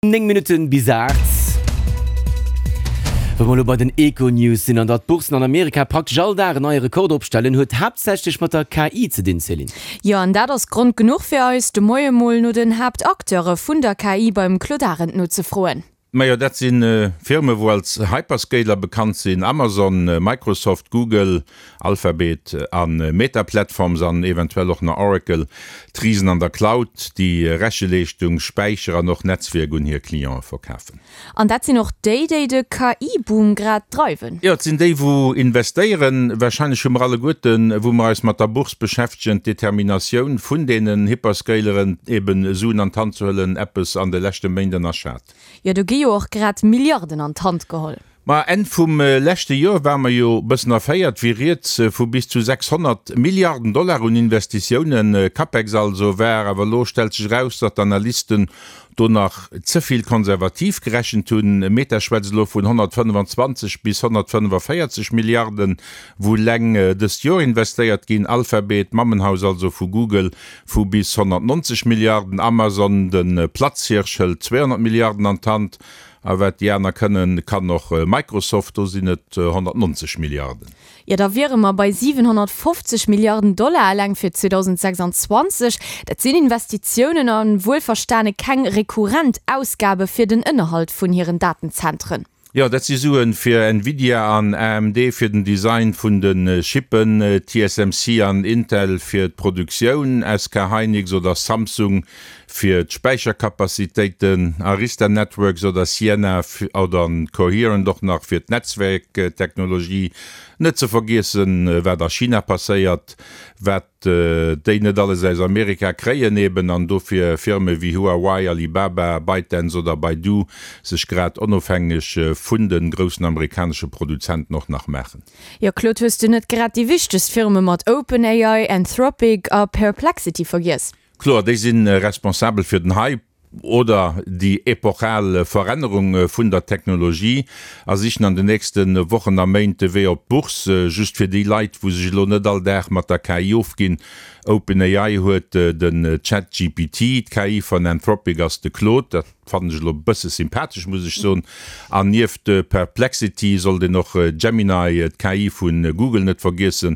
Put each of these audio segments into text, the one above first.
9 Minutten bis 8. Wa mer elo bei den Econews sinn an datt d'Boursen an Amerika praktesch all Dag en neie Rekord opstellen, huet haaptsächlech mat der KI ze dinn, Céline. Jo, an dat ass Grond genuch fir eis, de Moie mol no den Haaptacteure vun der KI beim Claude Arend nozefroen. Majo, dat si Firme wou als Hyperscaler bekannt sinn, Amazon, Microsoft, Google, Alphabet a Meta Platforms an eventuell och nach Oracle, d'Risen an der Cloud, déi Recheleeschtung, Späicher an och Netzwierk un hir Cliente verkafen. An dat sinn och déi, déi de KI-Boom grad dreiwen. Jo, et sinn déi, wou investéieren. Warscheinlech hu mer alleguerten, wou mer eis mat der Bourse beschäftegen, d'Determinatioun vun deenen Hyperscaleren, eben Suen an d'Hand ze huelen, eppes an de leschte Méint ënnerschat. Jo, do gi jo och grad Milliarden an d'Hand geholl. Ma Enn vum leschte Joer war mer jo bëssen erféiert, wéi rieds vu bis zu 600 Milliarden Dollar un Investitiounen, Capex also, war. Awer elo stellt sech eraus, datt d'Analysten do nach ze vill konservativ gerechent hunn. Meta schwätzt elo vun 125 bis 145 Milliarden, wou eleng dëst Joer investéiert ginn. Alphabet, d'Mammenhaus also vu Google, vu bis 190 Milliarden. Amazon, de Platzhirsch, hëlt 200 Milliarden an d'Hand. A wat déi aner kënnen, kann och Microsoft, do sinn et 190 Milliarden. Jo, da wiere mer bei 750 Milliarden Dollar eleng fir 2026. Dat sinn Investitiounen a wuelverstane keng rekurrent Ausgabe fir den Ënnerhalt vun hiren Datenzentren. Jo, dat si Suen fir Nvidia an AMD fir den Design vun de Chippen, TSMC an Intel fir d'Produktioun, SK Hynix oder Samsung fir d'Späicherkapazitéiten, Arista Networks oder Ciena oder Coherent och nach fir d'Netzwerktechnologie, net ze vergiessen, wat a China passéiert, wat déi net alles aus Amerika kréien eben, an dofir Firme wéi Huawei, Alibaba, ByteDance oder Baidu sech grad onofhängeg vun de groussen amerikanesche Produzenten och nach maachen. Jo Claude, hues du net grad déi wichtegst Firme mat OpenAI, Anthropic a Perplexity vergiess? Kloer, déi si responsabel fir den Hype oder déi epochal Verännerung vun der Technologie a sichen an den nächste Wochen a Méint de Wee op d'Bourse. Just fir déi Leit, wou sech elo net all Dag mat der KI ofginn, OpenAI huet den ChatGPT, d'KI von Anthropic ass de Claude, dat fannen ech elo e bësse sympathesch, muss ech soen, an nieft Perplexity sollt een och Gemini, d'KI vu Google, net vergiessen.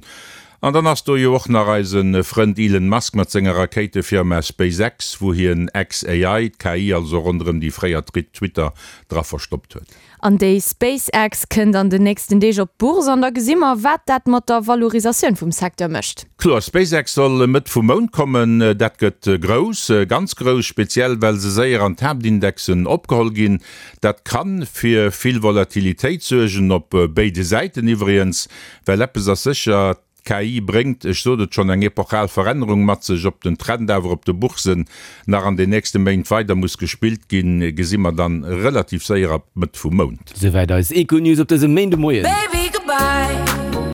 An dann ass do jo och nach eise Frënd Elon Musk mat senger Rakéitefirma SpaceX, wou hien xAI, d'KI also ronderëm déi fréier Twitter, dra verstoppt huet. An déi SpaceX kënnt an den nächsten Deeg op d'Bourse an da gesi mer, wat dat mat der Valorisatioun vum Secteur mécht. Kloer, SpaceX soll Mëtt vum Mount kommen. Dat gëtt grouss, ganz grouss, speziell well se séier an d'Haaptindexen opgeholl ginn. Dat kann fir vill Volatilitéit suergen, op béide Säiten iwwregens. Well eppes ass sécher, d'KI bréngt, ech sot et schonn, eng epochal Verännerung mat sech. Ob den Trend awer op de Boursen nach an den nächste Méint weider muss gespillt ginn, gesi mer dann relativ séier ab Mëtt vum Mount. Souwäit eis Econews op dësem Méindemoien.